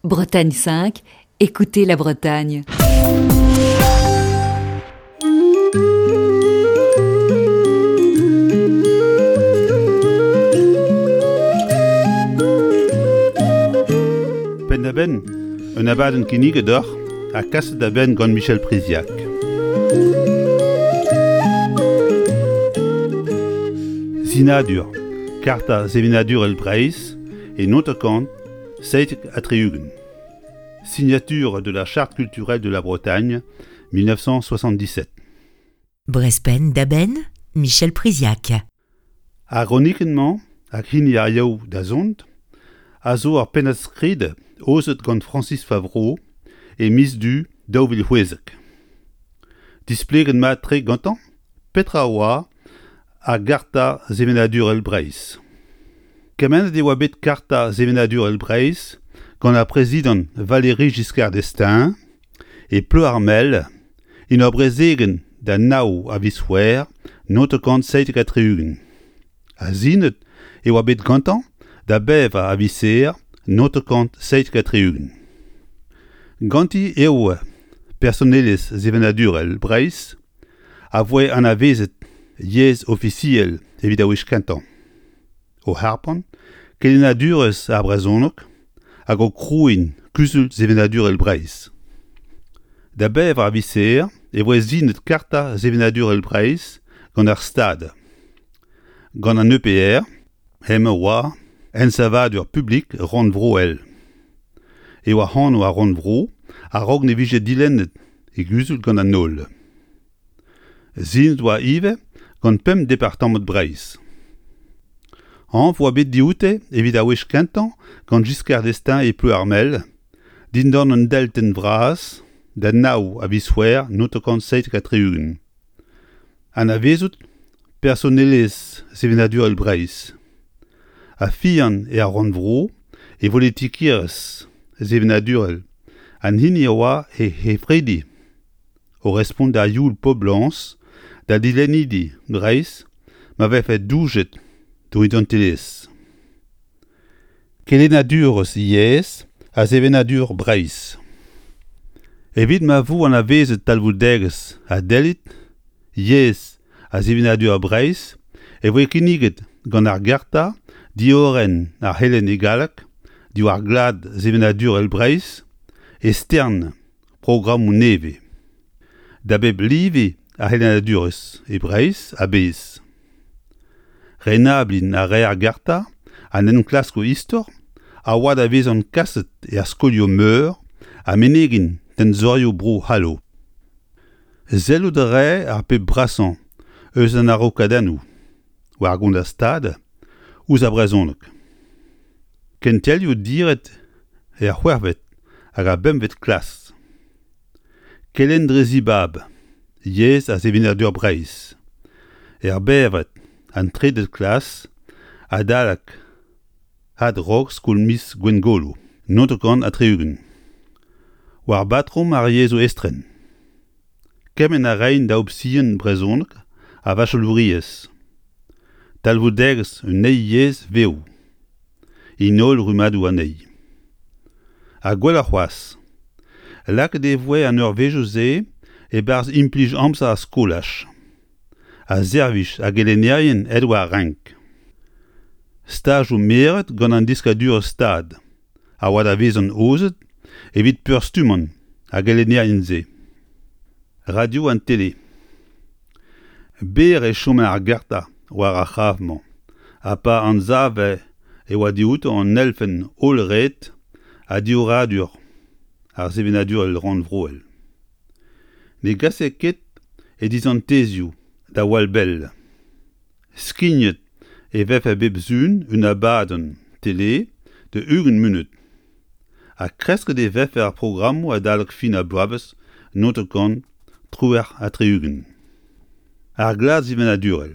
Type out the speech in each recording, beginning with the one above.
Bretagne 5, écoutez la Bretagne. Penn-da-benn, un abadenn kinniget deoc'h ha kaset da benn gant Michel Priziac. Sinadur, Karta sevenadurel Breizh e Nontacant 77. Signature de la Charte culturelle de la Bretagne, 1977. Brezhpenn da benn, Michel Priziac. Ar gronikenn-mañ hag hini ar Yaou da zont a zo ur pennad-skrid aozet gant Francis Favreau e miz Du 2016. Displeget mat-tre gantañ petra oa ar Garta sevenadurel Breizh. Kemennet e oa bet Karta sevenadurel Breizh gant ar prezidant Valéry Giscard d'Estaing e Ploermel en ur brezegenn da nav a viz C'hwevrer 1977. Ha sinet e oa bet gantañ da bevar a viz Here 1977. Ganti eo personelezh sevenadurel Breizh a voe anavezet yezh ofisiel evit ar wech kentañ, o harpañ kelennadurezh ar brezhoneg hag o krouiñ Kuzul Sevenadurel Breizh. Da bevar viz Here e voe sinet Karta Sevenadurel Breizh gant ar Stad. Gant an EPR hemañ oa ensavadur publik rannvroel e oa anv ar rannvro a-raok ne vije dilennet e guzul gant an holl. Sinet oa ivez gant pemp departamant Breizh. Anv oa bet dioute evit ar wech kentañ gant Giscard d'Estaing e Ploermel, dindan un deltenn vras da nav a viz C'hwevrer 1977. Anavezout personelezh sevenadurel Breizh ha fiziañ er rannvro e volitikerezh sevenadurel an hini a oa he c'hefridi o respont da youl poblañs da dilennidi Breizh ma vefe doujet d'o identelezh. Kelennadurezh yezh ha sevenadur Breizh. Evit ma vo anavezet talvoudegezh ha dellid yezh ha sevenadur Breizh e voe kinniget gant ar Garta diorren ar c'helenn e galleg diwar glad sevenadurel Breizh e stern programmoù nevez da bep live ar c'helennadurezh e Breizh a-bezh. Renabliñ a rae ar garta an enklaskoù istor a oa da vezañ kaset er skolioù-meur ha menegiñ tenzorioù Bro-C'hallo. Sellout a rae ar pep brasañ eus an araokadennoù war gont ar Stad ouzh ar brezhoneg. Kentelioù diret er c'hwec'hvet hag ar bempvet klas. Kelenn dre zibab, yezh ha sevenadur Breizh. Er bevred, an trede klas, adalek adrog skol miz Gwengolo, 90. War batrom ar yezhoù estren. Kement a raent da opsion brezhoneg ha vachelouriezh. Talvoudegezh un eil yezh vev. En holl rummadoù anezhi. Ha gwelloc'h c'hoazh, lakaet e voe an eurvezhioù-se e-barzh implij amzer ar skolaj ha servij ar gelennerien aet war renk. Stajoù meret gant an deskadurezh Stad a oa da vezañ aozet evit peurstummañ ar gelennerien-se. Radio an tele. Berr e chome ar garta war ar c'hraf-mañ ha pa anzave e oa dioutañ an elfenn hollret ha diorroadur ar sevenadurel rannvroel. Ne gase ket e dizantezioù da wall bell. Skignet e vefe bep sizhun un abadenn tele da 20 munut ha kresket e vefe ar programmoù adalek fin ar bloavezh 1978. Ar glad sevenadurel.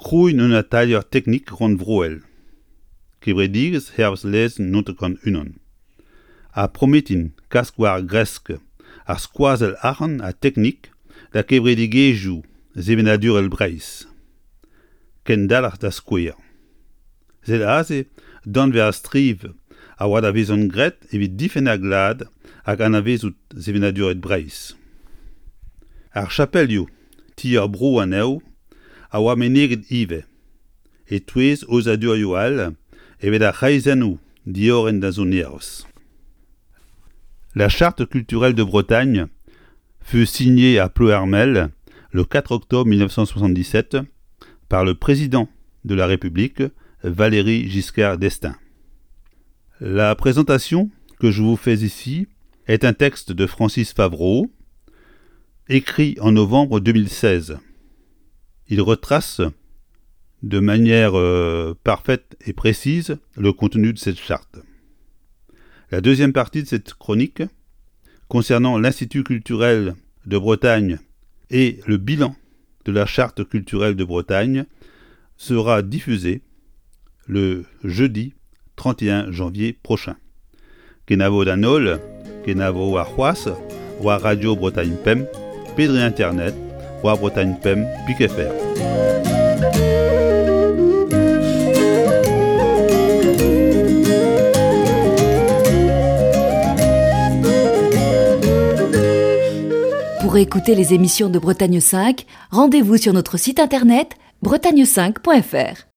Krouiñ un atalier teknik rannvroel. Kevredigezh hervez lezenn 91. Ha prometiñ kas war gresk ar skoazell arc'hant ha teknik da kevredigezhioù sevenadurel Breizh. Kendalc'h da skouer. Sed aze danvez ar striv a a oa da vezan graet evit difenn ar glad hag anavezout sevenaduret Breizh. Ar chapelioù, ti ar bro anezho, a oa meneget ivez, e-touez aozadurioù all evit ar c'hreizennoù diorren da sonerezh. La Charte culturelle de Bretagne fut signée à Ploermel le 4 octobre 1977 par le président de la République, Valéry Giscard d'Estaing. La présentation que je vous fais ici est un texte de Francis Favreau, écrit en novembre 2016. Il retrace de manière euh, parfaite et précise le contenu de cette charte. La deuxième partie de cette chronique concernant l'Institut culturel de Bretagne et le bilan de la charte culturelle de Bretagne sera diffusée le jeudi 31 janvier prochain. Kenavo d'an holl, kenavo warc'hoazh war Radio Bretagne Pemp pe dre internet war Bretagne Pemp pik FR. Pour écouter les émissions de Bretagne 5, rendez-vous sur notre site internet bretagne5.fr.